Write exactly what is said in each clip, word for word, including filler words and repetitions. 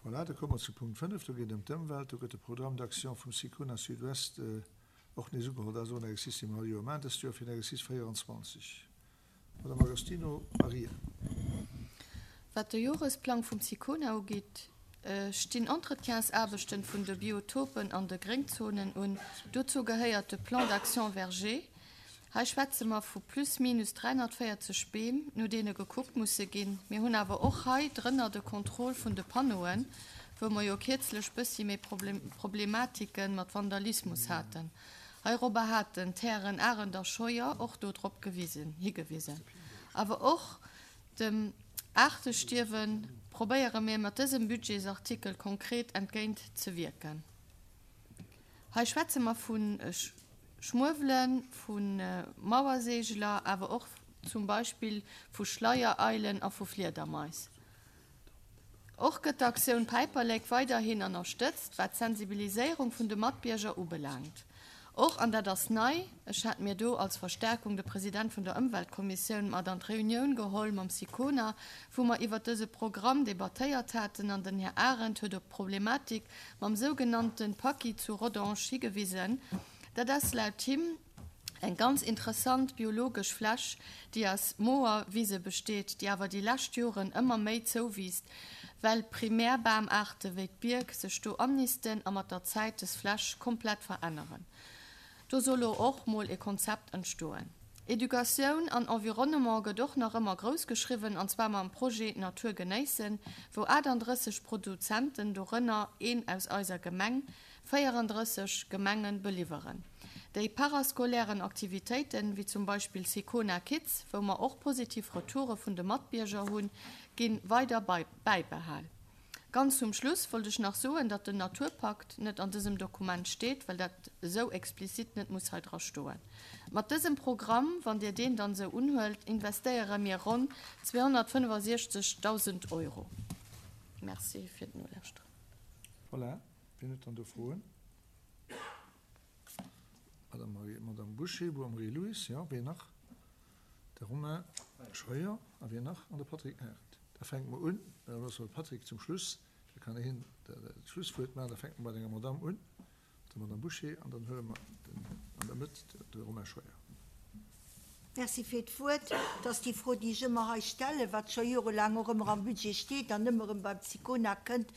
Voilà, da komme mer zu Punkt fënnef, do geet et ëm d'Ëmwelt. Do gëtt de Programme d'action vum SICONA Sud-Ouest och nees ugeholl. Dat ass och en Exercice, dee mer all Joer maachen, dëst Joer fir den Exercice véierundzwanzeg. Madame Agostino Maria. Wat de Joresplang vum SICONA ugeet, stinn Entretiensaarbechten vun de Biotopen an de Gréngzonen un. Dozou gehéiert de Plan d'action verger. Hei schwätze mer vu plus minus dräihonnertvéierzeg Beem, no deene gekuckt musse ginn. Mir hunn awer och hei drënner de Contrôle vun de Panneauen, wou mer jo kierzlech bëssi méi Problematike mat Vandalismus haten. Heirobber haten d'Hären Arendt a Scheuer och do drop gewisen, higewisen. Awer och dem Aartestierwe probéiere mir mat dësem Budgetsartikel konkret entgéint ze wierken. Hei schwätze mer vu Schmuewelen, vu Mauerseegler, awer och zum Beispill vu Schleiereilen a vu Fliedermais. Och gëtt d'Aktioun Päiperlek weiderhin ënnerstëtzt, wat d'Sensibiliséierung vun de Matbierger ubelaangt. Och, an dat ass nei, ech hat mir do als Verstärkung de President vun der Ëmweltkommissioun mat an d'Reunioun geholl mam Sicona, wou mer iwwert dëse Programm debattéiert haten, an den Här Arendt huet op d'Problematik mam sougenannte Paki zu Rodange higewisen. Dat ass laut him eng ganz interessant biologesch Fläch, déi aus Moerwise besteet, déi awer déi lescht Joren ëmmer méi zouwiisst, well Primärbamaarte wéi d'Bierk sech do annisten a mat der Zäit des Fläch komplett veränneren. Do soll lo och mol e Konzept entstoen. Educatioun an Environnement gëtt och nach ëmmer grouss geschriwwen, an zwar mam Projet Natur genéissen, wou achtandrësseg Produzenten, dorënner een aus eiser Gemeng, véierandrësseg Gemenge beliwweren. Déi parascolairen Aktivitéiten, wéi zum Beispill Sicona Kids, wou mer och positiv Retoure vun de Matbierger hunn, gi weider bäibehal. Ganz zum Schluss wollt ech nach soen, datt den Naturpakt net an dësem Dokument steet, well dat esou explizit net muss hei dra stoen. Mat dësem Programm, wann Dir deen dann esou unhuelt, investéiere mir ronn zweehonnertfënnefasiechzegdausend Euro. Merci fir d'Nolauschteren. Voilà, wien huet dann do Froen? Madame Marie, Madame Bouché, Marie-Louise, jo, wien nach? De Romain Scheuer a wien nach? An de Patrick Arendt. Da fänke mer un, da loosse mer de Patrick zum Schluss, da kann hien d'Schlusswuert maachen. Da fänke mer bei denger Madamm un, der Madamm Bouché, an dann huele mer den an der Mëtt, de Romain Scheuer. Merci fir d'Wuert. Et ass déi Fro, déi ech ëmmer hei stellen, wat scho jorelaang och ëmmer am Budget steet an ëmmer erëm beim Sicona kënnt,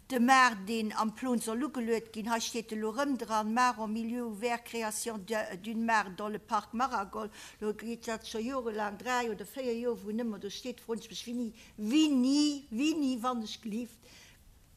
de Mar, deen am Plon soll ugeluet ginn. Hei steet elo erëm dran, Mare en milieu ouvert, création d'une mare dans le parc Maragol. Elo geet dat scho jorelaang, dräi oder véier Joer, wou en ëmmer do steet, froen ech mech, Wéini, wéini, wéini, wann ech gelift,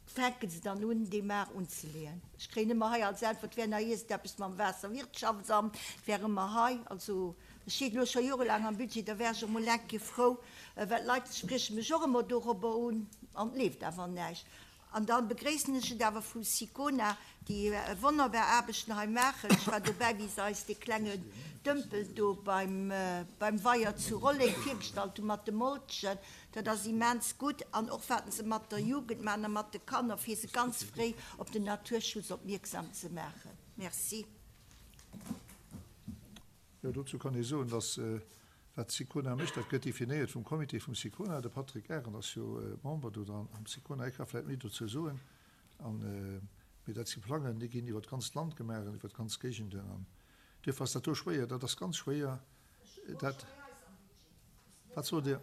fänke se dann un, déi Mar unzeleeën? Ech kréien ëmmer hei als Äntwert, et wär nach iergendeppes mam Waasserwirtschaftsamt, et wär ëmmer hei. Also, et steet elo scho jorelaang am Budget, da wär ech och mol eng Kéier frou, well d'Leit sprieche mech och ëmmer dorobber un an et leeft awer näischt. An da begréissen ech et awer vu Sicona, déi wonnerbar Aarbechten hei maachen. Ech war dobäi, wéi se eis dee klengen Dëmpel do beim Weier zu Rolleng virgestallt hu mat de Molchen. Dat ass immens gutt. An och wat se mat der Jugend maachen a mat de Kanner, fir se ganz fréi op den Naturschutz opmierksam ze maachen. Merci. Jo, dozou kann ee soen, dass wat d'Sicona mécht, dat gëtt definéiert vum Comité vum Sicona. De Patrick Arendt ass jo Member do dran am Sicona. Hie ka vläicht méi dozou soen. An, mee dat si Plangen, déi ginn iwwer d'ganzt Land gemaach an iwwer d'ganz Géigenden. An duerfir ass dat do schwéier. Dat ass ganz schwéier. Dat, wat sot Dir?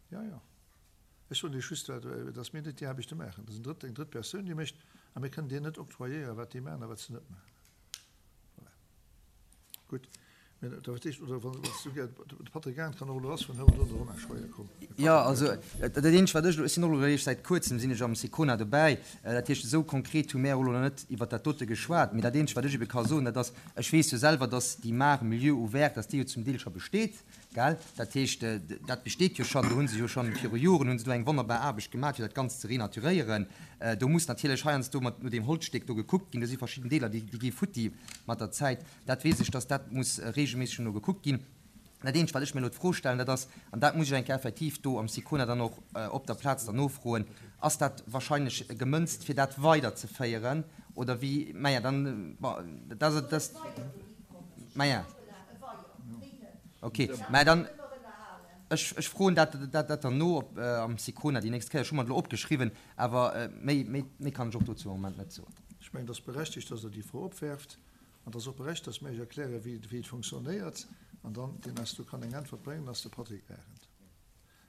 Jo, jo. Ech soen Iech just, dass mir net déi Aarbechte maachen. Dat ass en drëtt, eng drëtt Persoun, déi mécht. A mir kënnen deenen net octroyéieren, wat déi maachen a wat se net maachen. Voilà. Gutt. Mä dat heescht, oder wann s du gär, de Patrick Arendt kann och elo lass, wann hëlt elo de Romain Scheuer, komm. Jo, also dat eenzegt wat ech elo, ech sinn och elo eréischt säit kuerzem sinn ech am Sicona dobäi, dat heescht esou konkret hu mär och elo nach net iwwert dat dote geschwat, mee dat eenzegt wat ech ebe ka soen, dat ass, ech weess jo selwer, datt déi Mare Milieu ouvert, datt déi jo zum Deel scho besteet, gell, dat heescht dat besteet jo schonn, do hu se jo schonn viru Joren hu se do eng wonnerbar Aarbecht gemaach fir dat Ganzt ze renaturéieren. Do muss natierlech heiansdo mat no deem Holzstéck do gekuckt ginn, do si verschidden Deeler déi gi futti mat der Zäit. Dat weess ech, dass dat muss regelméisseg no gekuckt ginn. Dat Eenzegt, wat ech mir elo d'Fro stellen, dat ass, an dat muss ech eng Kéier effektiv do am Sicona dann och op der Plaz dann nofroen, Ass dat wahrscheinlech gemënzt, fir dat weiderzeféieren, oder wéi? Maja, dann, bon, dat ass, dat, maja, okay, mä dann, Ech, ech froen dat, dat, dat dann no op, äh, am Sicona déi nächst Kéier. Ech hu mer et elo opgeschriwwen, awer äh, méi, méi, méi kann ech och dozou am Moment net soen. Ech mengen, et ass berechtigt, dass Der déi Fro opwerft. An et ass och berechtigt, dass mir Iech erklären, wéi, wéi et funktionéiert. An dann, deen eis do kann eng Äntwert bréngen, ass de Patrick Arendt.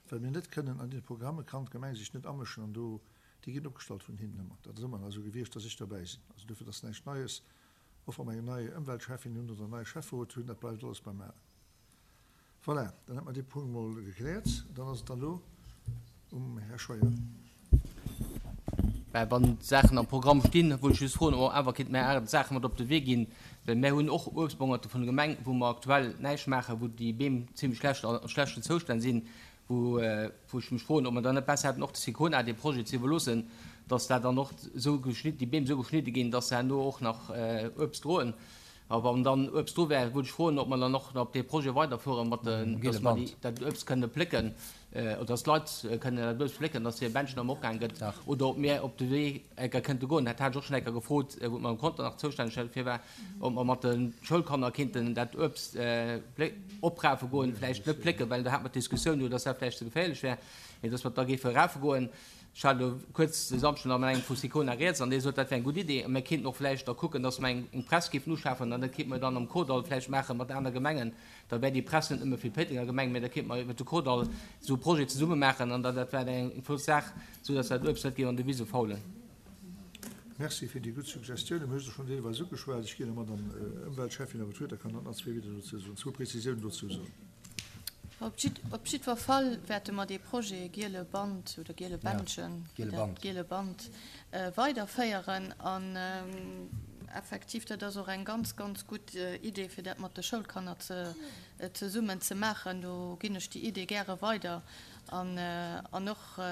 Well mir net kënnen an deene Programme kann d'Gemeng sech net amëschen an do, déi ginn opgestallt vun hinnen ëmmer. Dat ass ëmmer esou gewiescht, dass ech derbäi sinn. Also dofir, dat ass näischt Neies. Och wa mer eng nei Ëmweltcheffin hunn oder en neie Schäfferot hunn, dat bleift alles beim Alen. Voilà, dann hätt mer dee Punkt mol gekläert. Dann ass et dann elo um Här Scheuer. Mä wann d'Saachen am Programm stinn, wollt ech just froen, ob mer awer kéinte mär aner Saache mat op de Wee ginn, well mär hunn och Uebstbongerte vun der Gemeng, wou mer aktuell näischt maachen, wou déi Beem zimlech schlecht, a schlechten Zoustänn sinn, wou, wou ech mech froen, ob mer dann net besser hätten, och de Sicona dee Projet ze iwwerloossen, dass dat dann och esou geschnidden, déi Beem esou geschnidde ginn, dass se herno och nach Uebst droen. A wann dann Uebst do wär, wollt ech froen, ob mer dann och op dee Projet weiderfueren, mat den, dass mer déi, dat Uebst kënne plécken, oder dass d'Leit kënnen dat Uebst plécken, dass hir Bändchen erëm opgaang gëtt, oder ob mir op de Wee enker kënnte goen. Dat hat ech och schonn enker gefrot, wou d'Madame Conter nach zoustänneg dofir war, ob mer mat de Schoulkanner kéinten dat Uebst oprafe goen, vläicht net plécken, well do hat mer d'Diskussioun jo, dass dat vläicht ze geféierlech wär, mee dass mer da géife rafe goen. Ech hat elo kuerz de Samschden nach mat engem vu Sicona rieds an dee sot, dat wär eng gutt Idee a mir kéinten och vläicht da kucken, datt mer eng Press géifen uschafen an dat kéinte mer dann am Kordall vläicht maache mat aner Gemengen. Da wär déi Press net nëmme fir d'Péitenger Gemeng, mä da kéinte mer iwwert de Kordall esou e Projet zesumme maachen an da dat wär eng flott Saach, esou datt dat Uebst net géif an de Wise faulen. Merci fir déi gutt Suggestiounen. Mir hu se schonn deelweis ugeschwat. Ech ginn der Madame Ëmweltschäffin awer d'Wuert, da kann hatt nach zwee Wieder dozou soen, zwou Prezisiounen dozou soen. Op jiddwer Fall wäerte mer dee Projet Giele Band oder Giele Bändchen, Giele Band, weiderféieren. An effektiv, dat ass och eng ganz, ganz gutt Idee, fir dat mat de Schoulkanner zesummen ze maachen. Do ginn ech déi Idee gäre weider. An och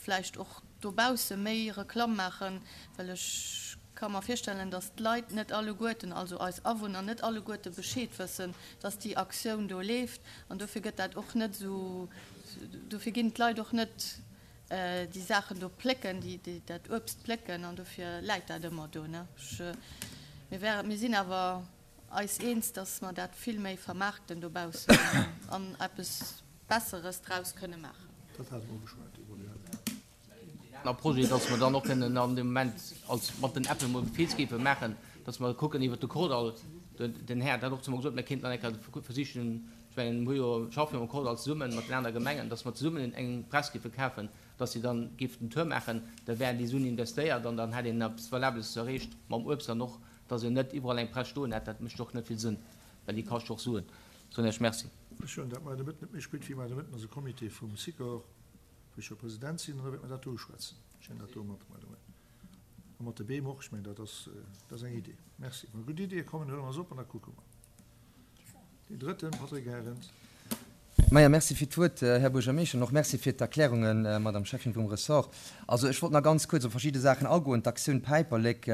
vläicht och dobausse méi Reklamm maachen, well ech ka mer virstellen, dass d'Leit net alleguerten, also eis Awunner net alleguerte Bescheed wëssen, dass déi Aktioun do leeft. An dofir gëtt dat och net esou, dofir ginn d'Leit och net déi Saachen do plécken, déi dat Uebst plécken an dofir läit dat ëmmer do. Mir wären, mir sinn awer eis eens, dass mer dat vill méi vermaarkten dobaussen an eppes Besseres draus kënne maachen. Dat hate mer ugeschwat, Evoluéiert. Aner Projet, dass mer dann och kënnen an deem Moment als mat den Äppel mol Fils géife maachen, dass mer kucken iwwert de Kordall, den Här hat dat och zu mer gesot, mir kéinten dann eng Kéier versichen, ech mengen, mir hu jo, schaffe jo am Kordall zesummen mat den anere Gemengen, dass mer zesummen eng Press géife kafen, dass se dann géif den Tour maachen, da wären déi Suen investéiert an dann hätt een eppes Valables erreecht mam Uebst an och, dass een net iwwerall eng Press stoen hätt, dat mécht och net vill Sënn, well déi kascht och Suen. Soen Iech Merci. Ech hunn dat muer de Mëtten net méi spéit wéi muer de Mëtten ass e Comité vum Sikor, wou ech jo President sinn, an da wäerte mer dat do uschwätzen. Ech hunn dat do mat, by the way. A mat de Beem och. Ech mengen, dat ass, dat ass eng Idee. Merci. Wa gutt Iddie kommen, huele mer se op an da kucke mer. Deen drëtten, Patrick Arendt. Maja, merci fir d'Wuert, Här Buergermeeschter, an och merci fir d'Erklärungen, Madame Schäffin vum Ressort. Also ech wollt nach ganz kuerz op verschidde Saachen agoen. D'Aktioun Päiperlek,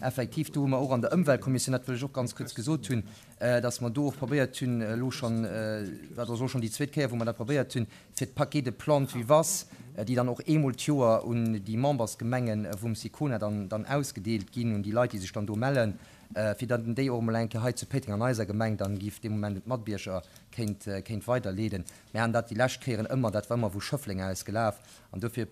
effektiv, do hu mer och an der Ëmweltkommissioun, dat wëll ech och ganz kuerz gesot hunn, dass mer do och probéiert hunn, elo schonn, dat ass elo schonn déi zweet Kéier, wou mer dat probéiert hunn, fir d'Paquets de plantes vivaces, déi dann och eemol d'Joer un déi Membersgemenge vum SICONA dann, dann ausgedeelt ginn, un déi Leit, déi sech dann do mellen, fir dann déi och emol eng Kéier hei zu Péiteng an eiser Gemeng dann giff dee Moment un d'Matbierger kéint, kéint weiderleeden. Mir haten dat déi lescht Kéieren ëmmer, dat war ëmmer vu Schëffleng aus gelaf, an dofir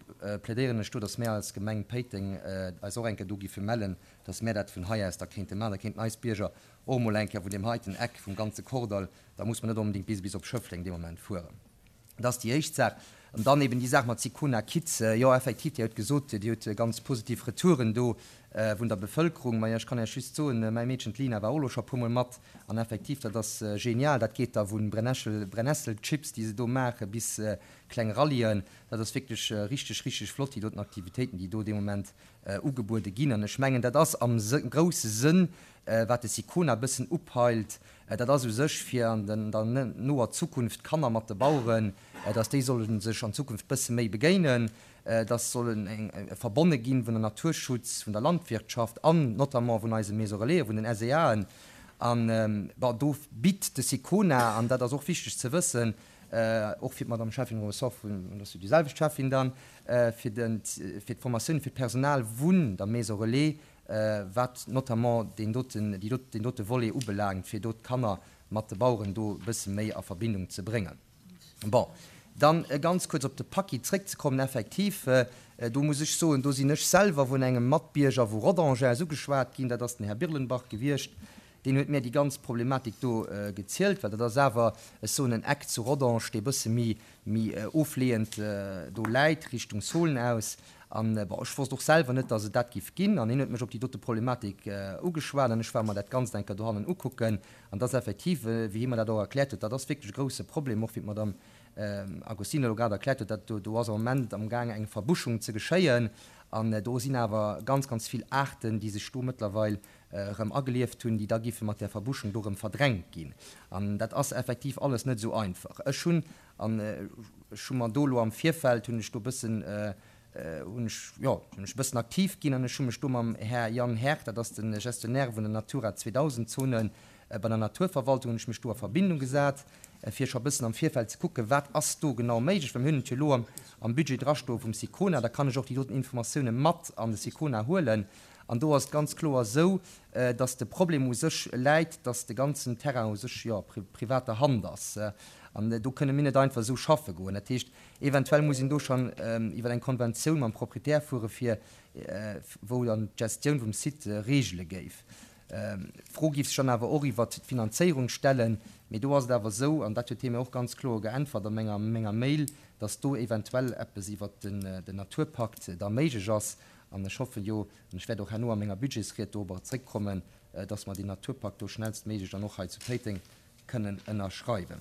plädéieren ech do, dass mär als Gemeng Péiteng eis och eng Kéier do giffe mellen, dass mär dat vun hei aus da kéinte maachen. Da kéinten eis Bierger och emol eng Kéier vun deem heiten Eck vum ganze Kordall, da muss mer net onbedéngt bis bis op Schëffleng dee Moment fueren. Dat ass déi éischt Saach. An dann eben déi Saach mat Sicona Kids. Jo, effektiv, Dir hutt gesot, Dir hutt ganz positiv Retouren do vun der Bevëlkerung. Majo, ech kann Iech just soen, mäi Meedchen, d'Lina, war och elo scho e puermol mat. An effektiv, dat ass genial. Dat geet da vu Brennessel, Brennesselchips, déi se do maachen, bis kleng Rallyen. Dat ass wierklech richteg, richteg flott, déi doten Aktivitéiten, déi do dee Moment ugebuede ginn. An ech mengen, dat ass am grousse Sënn, wat de Sicona e bëssen upeilt, dat ass u sech, fir an der noer Zukunft d'Kanner mat de Baueren, dass déi solle sech an Zukunft e bësse méi begéinen, dass sollen verbonne ginn vun der Naturschutz, vun der Landwirtschaft an notamment vun eise Maisons Relaisen, vun den SEAen. An, bon, do bitt de Sicona, an dat ass och wichteg ze wëssen, och fir d'Madame Schäffin vum Ressort, vun, dat ass jo déi selwecht Schäffin dann, fir den, fir d'Formatioun fir d'Personal vun der Maison Relais, wat notamment deen doten, déi dot, deen dote Volet ubelaangt, fir do d'Kanner mat de Baueren do e bësse méi a Verbindung ze bréngen. Bon, dann ganz kuerz op de Paquis zréckzekommen, effektiv, do muss ech soen, do sinn ech selwer vun engem Matbierger vu Rodange aus ugeschwat ginn, dat ass den Här Birlenbach gewiescht, deen huet mir déi ganz Problematik do gezielt, well dat ass awer, ech soen, en Eck zu Rodange, dee bësse méi, méi ofleeënd do läit, Richtung Solen aus. An, bon, ech wosst och selwer net, dass et dat giff ginn, an hien huet mech op déi dote Problematik ugeschwat an ech war mer dat Ganzt eng Kéier dohannen ukucken. An dass effektiv, wéi hie mer dat och erkläert huet, dat ass wierklech e grouse Problem, och wéi d'Madame Agostino elo grad erkläert huet, dat do, do ass am Moment amgaang eng Verbuschung ze geschéien an do sinn awer ganz, ganz vill Aarten, déi sech do mëttlerweil erëm agelieft hunn, déi da giffe mat där Verbuschung do erëm verdrängt ginn. An dat ass effektiv alles net esou einfach. Ech hunn, an ech hu mer do elo am Virfeld, hunn ech do e bëssen, hunn ech, jo, sinn ech e bëssen aktiv ginn an ech hu mech do mam Här Jan Herr, dat ass de Gestionnaire vun der Natura zweedausend Zone bei der Naturverwaltung, hunn ech mech do a Verbindung gesat, fir scho e bëssen am Virfeld ze kucken, wat ass do genau méiglech, well mir hunn et jo elo am, am Budget drastoe vum SICONA, da kann ech och déi doten Informatioune mat an de SICONA huelen. An do ass et ganz kloer esou, dass de Problem u sech läit, dass de ganzen Terrain u sech, jo, a privater Hand ass. An do kënne mir net einfach esou schaffe goen. Dat heescht, eventuell muss een do schonn iwwer eng Konventioun mam Proprietär fuere fir, wou dann d'Gestioun vum Site regele géif. D'Fro géif sech dann awer och iwwert d'Finanzéierung stellen. Mee do ass et awer esou, an dat huet hie mir och ganz kloer geäntwert a menger, menger Mail, dass do eventuell eppes iwwert den, den Naturpakt da méiglech ass. An ech hoffe jo, an ech wäert och herno a menger Budgetsried dorobber zréckkommen, dass mer deen Naturpakt do schnellstméiglech dann och hei zu Péiteng kënnen ënnerschreiwen.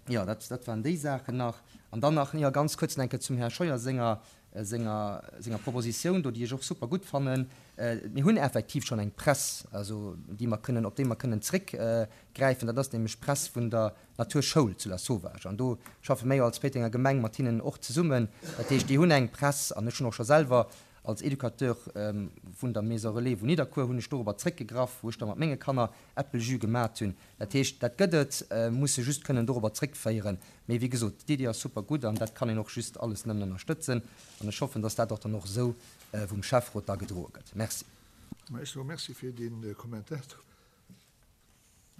Jo, dat, dat waren déi Saachen nach. An dann nach, jo, ganz kuerz nach eng Kéier zum Här Scheuer senger, senger, senger Propositioun do, déi ech och super gutt fannen. Mir hunn effektiv schonn eng Press, also déi mer kënnen, op déi mer kënnen zréckgräifen. Dat ass nämlech d'Press vun der Naturschoul zu Lasauvage. An do schaffe mir jo als Péitenger Gemeng mat hinnen och zesummen. Dat heescht, déi hunn eng Press an ech hunn och scho selwer als Educateur vun der Maison Relais vun Nidderkuer hunn ech dorobber zréckgegraff, wou ech da mat menge Kanner Äppeljus gemat hunn. Dat heescht, dat gëtt et, muss se just kënnen dorobber zréckféieren. Mee wéi gesot, d'Iddi ass super gutt an dat kann een och just alles nëmmen ënnerstëtzen. An ech hoffen, dass dat och dann och esou vum Schäfferot da gedroe gëtt. Merci. Ma ech soe Merci fir dee Kommentar.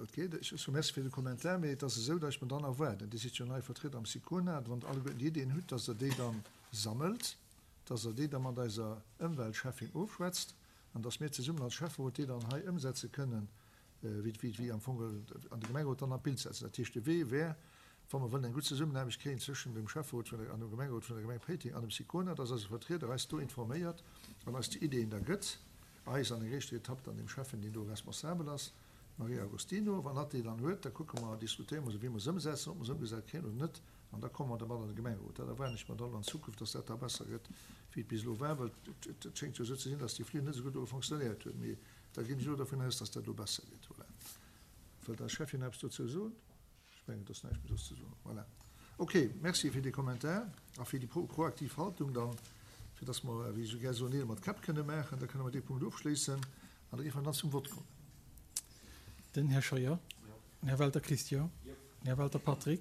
Et geet. Ech soe Merci fir de Kommentar, mee et ass esou, datt ech mer dann erwaarden, Dir sidd jo nei Vertrieder am SICONA, wann Der alleguerten déi Iddien hutt, datt Der déi dann sammelt, datt Der déi da mat eiser Ëmweltschäffin ofschwätzt an datt mir zesummen als Schäfferot déi dann hei ëmsetze kënnen, wéi, wéi, wéi am Fong an de Gemengerot dann an d'Bild setzen. Dat heescht, de Wee wär, wa mer wëllen eng gutt Zesummenaarbecht kréien zwëschen dem Schäfferot vun der, an dem Gemengerot vun der Gemeng Péiteng an dem SICONA, datt eise Vertrieder eis do informéiert an eis déi Ideeën da gëtt, eis an enger éischter Etapp dann dem Schäffen, deen do responsabel ass, Maria Agostino. Wann hatt déi dann huet, da kucke mer, diskutéiere mer se, wéi mer se ëmsetzen, ob mer se ëmgesat kréien oder net, an da komme mer dermat an de Gemengerot. Dat erwaarden ech mer dann an Zukunft, dass dat da besser gëtt, wéi et bis elo war, well et schéngt jo esou ze sinn, dass déi Flir net esou gutt elo fonctionnéiert huet. Mee da ginn ech elo dervun aus, dass dat elo besser gëtt. Voilà. Wëllt eis Schäffin eppes dozou soen? Ech mengen, et ass näischt méi soss ze soen. Voilà. Ok, merci fir dee Kommentar a fir déi proaktiv Haltung dann, fir dass mer, wéi ech esou gär soen, Neel mat Käpp kënne maachen. Da kënne mer dee Punkt ofschléissen an da géife mer dann zum Vott kommen. Den Här Scheuer. Den Här Welter Christian. Den Här Welter Patrick.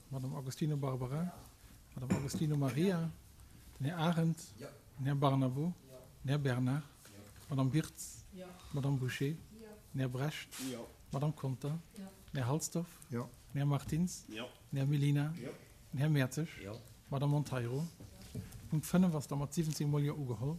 D'Madame Agostino Barbara. D'Madame Agostino Maria. Den Här Arendt. Den Här Barnabo. Den Här Bernard. D'Madame Wirtz. D'Madame Bouché. Den Här Brecht. D'Madame Conter. Den Här Halsdorf. Den Här Martins. Den Här Mellina. Den Här Mertzig. D'Madame Monteiro. Punkt fënnef ass da mat siwwenzéng Mol Jo ugeholl.